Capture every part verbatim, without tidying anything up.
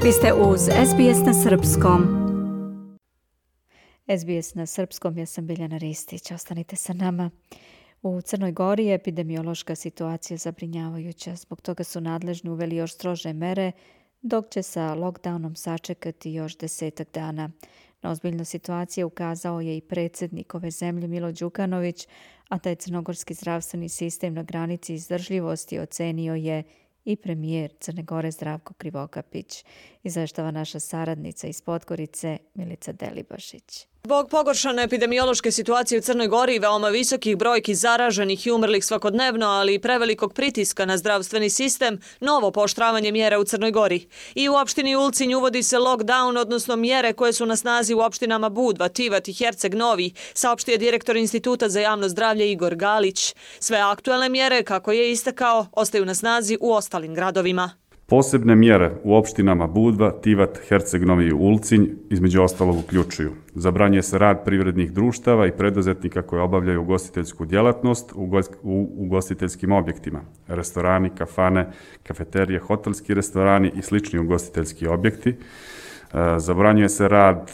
Vi ste uz S B S na srpskom. S B S na srpskom, ja sam Biljana Ristić. Ostanite sa nama. U Crnoj Gori je epidemiološka situacija zabrinjavajuća. Zbog toga su nadležni uveli još strože mere, dok će sa lockdownom sačekati još desetak dana. Na ozbiljnu situaciju ukazao je i predsjednik ove zemlje Milo Đukanović, a taj crnogorski zdravstveni sistem na granici izdržljivosti ocenio je i premijer Crne Gore Zdravko Krivokapić. Izveštava naša saradnica iz Podgorice Milica Delibašić. Zbog pogoršane epidemiološke situacije u Crnoj Gori i veoma visokih brojki zaraženih i umrlih svakodnevno, ali i prevelikog pritiska na zdravstveni sistem, novo pooštravanje mjera u Crnoj Gori. I u opštini Ulcinj uvodi se lockdown, odnosno mjere koje su na snazi u opštinama Budva, Tivat i Herceg Novi, saopštio je direktor Instituta za javno zdravlje Igor Galić. Sve aktuelne mjere, kako je istakao, ostaju na snazi u ostalim gradovima. Posebne mjere u opštinama Budva, Tivat, Herceg Novi i Ulcinj između ostalog uključuju: zabranjuje se rad privrednih društava i preduzetnika koji obavljaju ugostiteljsku djelatnost u ugostiteljskim objektima, restorani, kafane, kafeterije, hotelski restorani i slični ugostiteljski objekti. Zabranjuje se rad,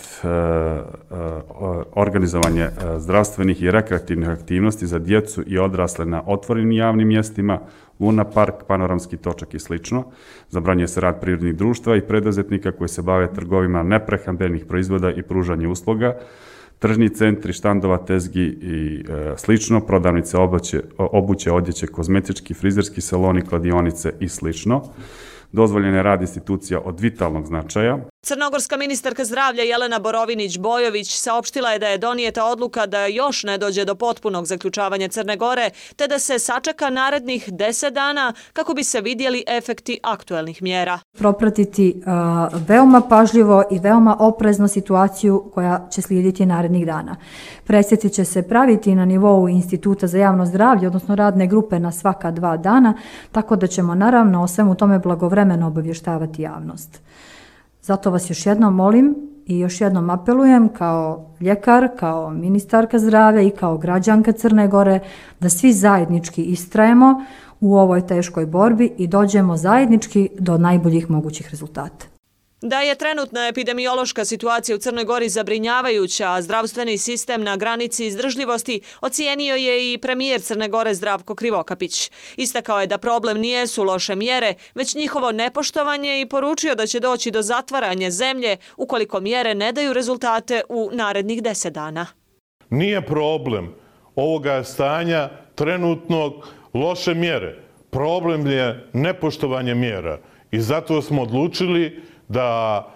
organizovanje zdravstvenih i rekreativnih aktivnosti za djecu i odrasle na otvorenim javnim mjestima, Luna park, panoramski točak i slično. Zabranjuje se rad privrednih društva i preduzetnika koji se bave trgovima neprehrambenih proizvoda i pružanje usluga, tržni centri, štandova, tezgi i e, slično, prodavnice obuće, obuće, odjeće, kozmetički, frizerski saloni, kladionice i slično. Dozvoljen je rad institucija od vitalnog značaja. Crnogorska ministarka zdravlja Jelena Borović-Bojović saopštila je da je donijeta odluka da još ne dođe do potpunog zaključavanja Crne Gore, te da se sačeka narednih deset dana kako bi se vidjeli efekti aktuelnih mjera. Propratiti uh, veoma pažljivo i veoma oprezno situaciju koja će slijediti narednih dana. Presjeci će se praviti na nivou Instituta za javno zdravlje, odnosno radne grupe na svaka dva dana, tako da ćemo naravno o svemu tome blagovremeno obavještavati javnost. Zato vas još jednom molim i još jednom apelujem kao ljekar, kao ministarka zdravlja i kao građanka Crne Gore da svi zajednički istrajemo u ovoj teškoj borbi i dođemo zajednički do najboljih mogućih rezultata. Da je trenutna epidemiološka situacija u Crnoj Gori zabrinjavajuća, a zdravstveni sistem na granici izdržljivosti ocijenio je i premijer Crne Gore Zdravko Krivokapić. Istakao je da problem nijesu loše mjere, već njihovo nepoštovanje i poručio da će doći do zatvaranja zemlje ukoliko mjere ne daju rezultate u narednih deset dana. Nije problem ovoga stanja trenutnog loše mjere. Problem je nepoštovanje mjera i zato smo odlučili da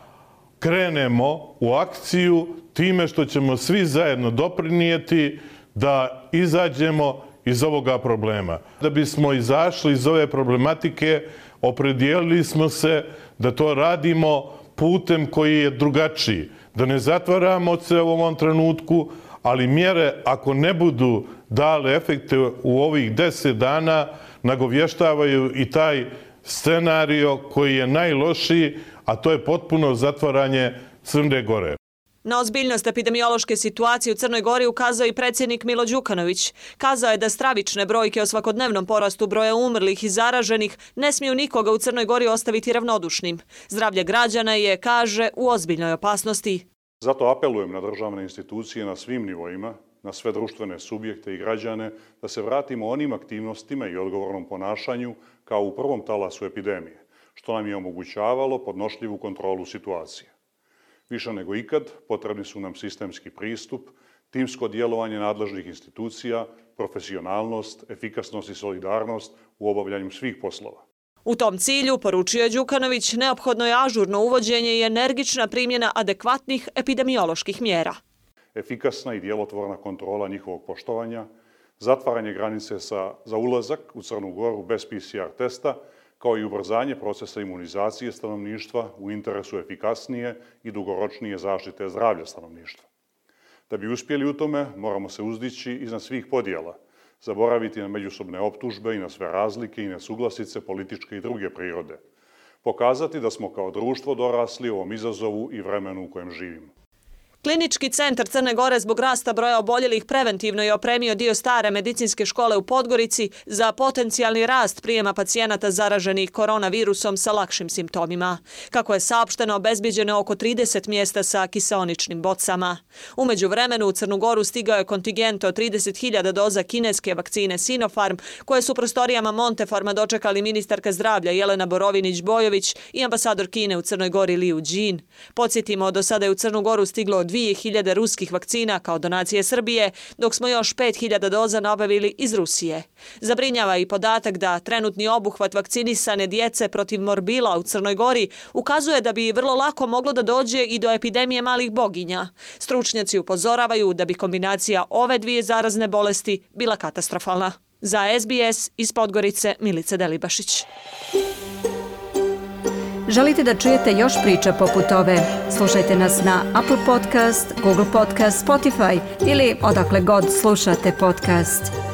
krenemo u akciju time što ćemo svi zajedno doprinijeti da izađemo iz ovoga problema. Da bismo izašli iz ove problematike, opredijelili smo se da to radimo putem koji je drugačiji. Da ne zatvaramo se u ovom trenutku, ali mjere ako ne budu dale efekte u ovih deset dana, nagovještavaju i taj scenario koji je najlošiji, a to je potpuno zatvaranje Crne Gore. Na ozbiljnost epidemiološke situacije u Crnoj Gori ukazao i predsjednik Milo Đukanović. Kazao je da stravične brojke o svakodnevnom porastu broja umrlih i zaraženih ne smiju nikoga u Crnoj Gori ostaviti ravnodušnim. Zdravlje građana je, kaže, u ozbiljnoj opasnosti. Zato apelujem na državne institucije na svim nivoima, na sve društvene subjekte i građane, da se vratimo onim aktivnostima i odgovornom ponašanju kao u prvom talasu epidemije, što nam je omogućavalo podnošljivu kontrolu situacije. Više nego ikad potrebni su nam sistemski pristup, timsko djelovanje nadležnih institucija, profesionalnost, efikasnost i solidarnost u obavljanju svih poslova. U tom cilju, poručio je Đukanović, neophodno je ažurno uvođenje i energična primjena adekvatnih epidemioloških mjera. Efikasna i djelotvorna kontrola njihovog poštovanja, zatvaranje granice sa, za ulazak u Crnu Goru bez P C R testa, kao i ubrzanje procesa imunizacije stanovništva u interesu efikasnije i dugoročnije zaštite zdravlja stanovništva. Da bi uspjeli u tome, moramo se uzdići iznad svih podjela, zaboraviti na međusobne optužbe i na sve razlike i nesuglasice političke i druge prirode, pokazati da smo kao društvo dorasli ovom izazovu i vremenu u kojem živimo. Klinički centar Crne Gore zbog rasta broja oboljelih preventivno je opremio dio stare medicinske škole u Podgorici za potencijalni rast prijema pacijenata zaraženih koronavirusom sa lakšim simptomima. Kako je saopšteno, obezbijeđeno oko trideset mjesta sa kiseoničnim bocama. U međuvremenu u Crnu Goru stigao je kontingent od trideset hiljada doza kineske vakcine Sinopharm, koje su prostorijama Montefarma dočekali ministarka zdravlja Jelena Borovinić-Bojović i ambasador Kine u Crnoj Gori Liu Jin. Podsjetimo, do sada je u Crnu Goru stiglo dvije hiljade ruskih vakcina kao donacije Srbije, dok smo još pet hiljada doza nabavili iz Rusije. Zabrinjava i podatak da trenutni obuhvat vakcinisane djece protiv morbila u Crnoj Gori ukazuje da bi vrlo lako moglo da dođe i do epidemije malih boginja. Stručnjaci upozoravaju da bi kombinacija ove dvije zarazne bolesti bila katastrofalna. Za S B S iz Podgorice, Milica Delibašić. Želite da čujete još priča poput ove? Slušajte nas na Apple Podcast, Google Podcast, Spotify ili odakle god slušate podcast.